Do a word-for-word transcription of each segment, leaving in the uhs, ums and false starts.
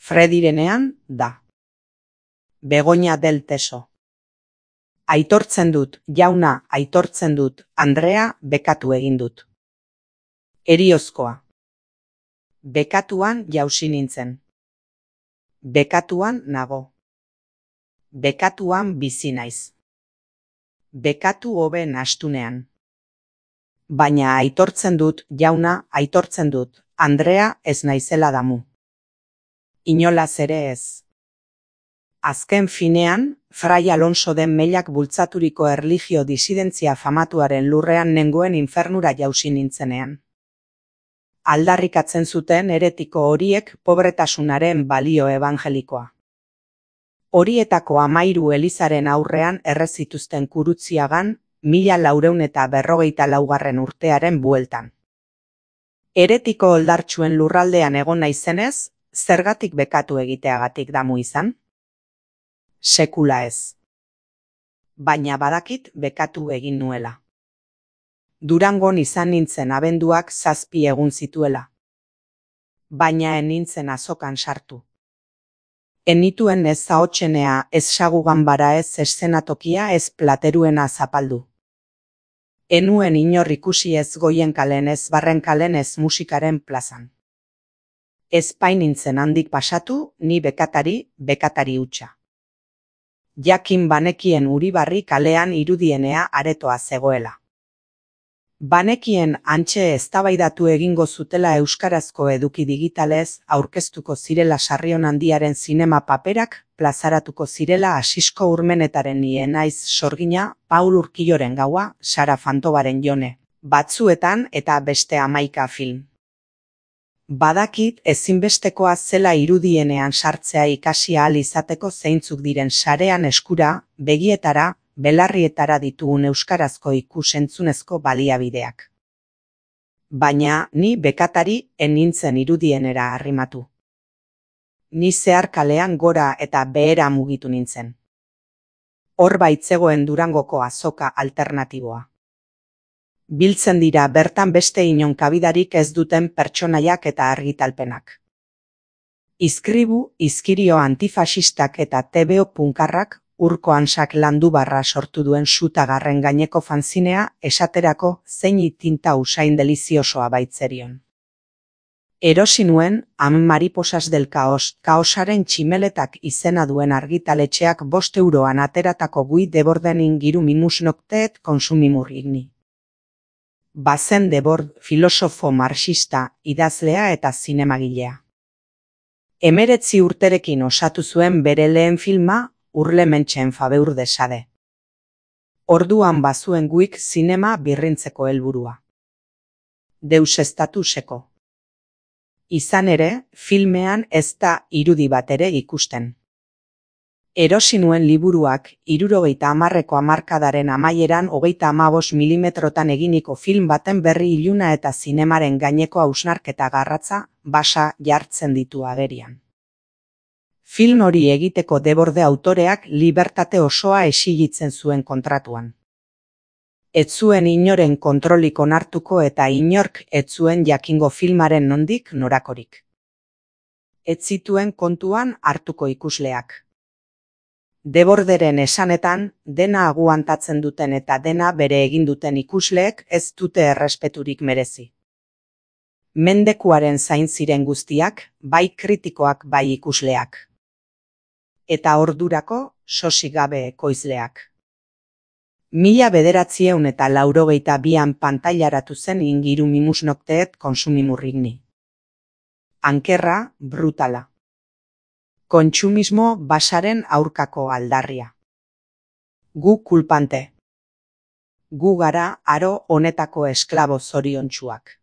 Fredirenean da. Begoña del Teso. Aitortzen dut, jauna, aitortzen dut, Andrea, bekatu egin dut. Heriozkoa. Bekatuan jausi nintzen. Bekatuan nago. Bekatuan bizi naiz. Bekatu hobe nastunean. Baina aitortzen dut, jauna, aitortzen dut, Andrea, ez naizela damu. Inolaz ere ez. Azken finean, Fray Alonso den Mellak bultzaturiko erlijio disidentzia famatuaren lurrean nengoen infernura jausi nintzenean. Aldarrikatzen zuten heretiko horiek pobretasunaren balio evangelikoa. Horietako amairu elizaren aurrean errezituzten Kurutziagan, mila laureun eta berrogeita laugarren urtearen bueltan. Heretiko oldartsuen lurraldean egon naizenez, zergatik bekatu egiteagatik damu izan? Sekula ez. Baina badakit bekatu egin nuela. Durangon izan nintzen abenduak zazpi egun zituela. Baina en nintzen azokan sartu. Enituen ez zahotxenea, ez saguganbara, ez eszenatokia, ez plateruena zapaldu. Enuen inor ikusi ez Goien kalen, ez Barren kalen, ez musikaren plazan. Ez painintzen handik pasatu, ni bekatari, bekatari hutsa. Jakin banekien Uribarri kalean irudienea aretoa zegoela. Banekien antxe eztabaidatu egingo zutela euskarazko eduki digitalez aurkeztuko zirela Sarrion Handiaren zinema paperak, plazaratuko zirela Asisko Urmenetaren Ni naiz sorgina, Paul Urquilloren gaua, Sara Fantobaren Jone, batzuetan eta beste hamaika film. Badakit ezinbestekoa zela irudienean sartzea ikasi ahal izateko zeintzuk diren sarean eskura, begietara, belarrietara ditugun euskarazko ikus-entzunezko baliabideak. Baina ni bekatari ez nintzen irudienera arrimatu. Ni zehar kalean gora eta behera mugitu nintzen. Hor baitzegoen Durangoko azoka alternatiboa. Biltzen dira bertan beste inon kabidarik ez duten pertsonaiak eta argitalpenak. Izkribu, izkirio antifasistak eta tebeo punkarrak Urko Hansak Landubarra sortu duen sutagarren gaineko fanzinea esaterako zein tinta usain deliziosoa baitzerion. Erosi nuen Am mariposas del caos, kaosaren tximeletak izena duen argitaletxeak bost euroan ateratako gui deborden ingiru mimus nocteet consumimur igni. Bazen Debord, filosofo marxista, idazlea eta zinemagilea. Emeretzi urterekin osatu zuen bere lehen filma, Urlementxen Fabeur de Sade. Orduan bazuen guik zinema birrintzeko helburua. Deusestatuseko. Izan ere, filmean ez da irudi bat ere ikusten. Erosi nuen liburuak hirurogeita hamarreko hamarkadaren amaieran hogeita hamabost milimetrotan eginiko film baten berri iluna eta zinemaren gaineko hausnarketa garratza basa jartzen ditu agerian. Film hori egiteko Deborde autoreak libertate osoa exigitzen zuen kontratuan. Ez zuen inoren kontrolik onartuko eta inork ez zuen jakingo filmaren nondik norakorik. Ez zituen kontuan hartuko ikusleak. Deborderen esanetan, dena aguantatzen duten eta dena bere egin duten ikusleek ez dute errespeturik merezi. Mendekuaren zain ziren guztiak, bai kritikoak bai ikusleak. Eta ordurako sosik gabe ekoizleak. Mila bederatzieun eta laurogeita bian pantailaratu zen ingiru mimus nocteet consumimurrigni. Ankerra, brutala. Kontsumismo basaren aurkako aldarria. Gu kulpante. Gu gara aro honetako esklabo zoriontsuak.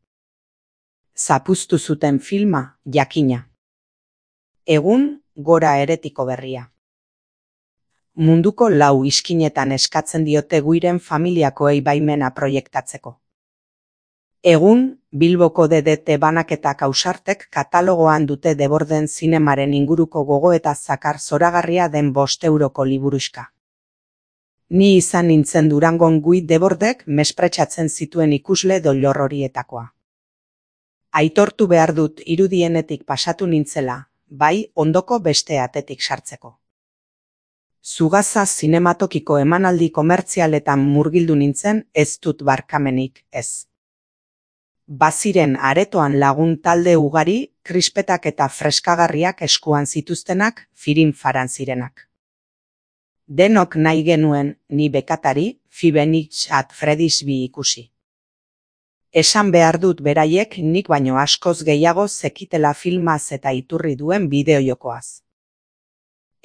Zapuztu zuten filma, jakina. Egun, gora eretiko berria. Munduko lau iskinetan eskatzen diote guiren familiakoei baimena proiektatzeko. Egun, Bilboko D D T banaketak ausartek katalogoan dute Deborden zinemaren inguruko gogoeta zakar zoragarria den bost euroko liburuxka. Ni izan nintzen Durangon gui Debordek mespretxatzen zituen ikusle doilor horietakoa. Aitortu behar dut irudienetik pasatu nintzela, bai ondoko beste atetik sartzeko. Zugaza zinematokiko emanaldi komertzialetan murgildu nintzen, ez dut barkamenik, ez. Baziren aretoan lagun talde ugari, krispetak eta freskagarriak eskuan zituztenak, firin faran zirenak. Denok nahi genuen ni bekatari, Fibenich at Freddy'sby ikusi. Esan behar dut beraiek nik baino askoz gehiago zekitela filmaz eta iturri duen bideojokoaz.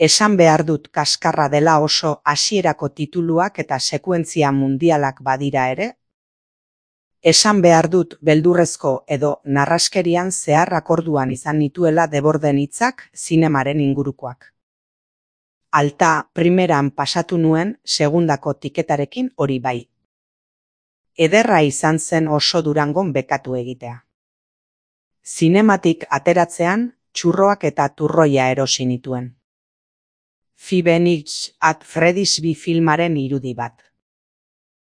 Esan behar dut kaskarra dela oso hasierako tituluak eta sekuentzia mundialak badira ere. Esan behar dut beldurrezko edo narraskerian zehar akorduan izan nituela deborden hitzak zinemaren ingurukoak. Alta primeran pasatu nuen segundako tiketarekin hori bai. Ederra izan zen oso Durangon bekatu egitea. Zinematik ateratzean txurroak eta turroia erosi nituen. Fibenich at Freddy'sby filmaren irudi bat.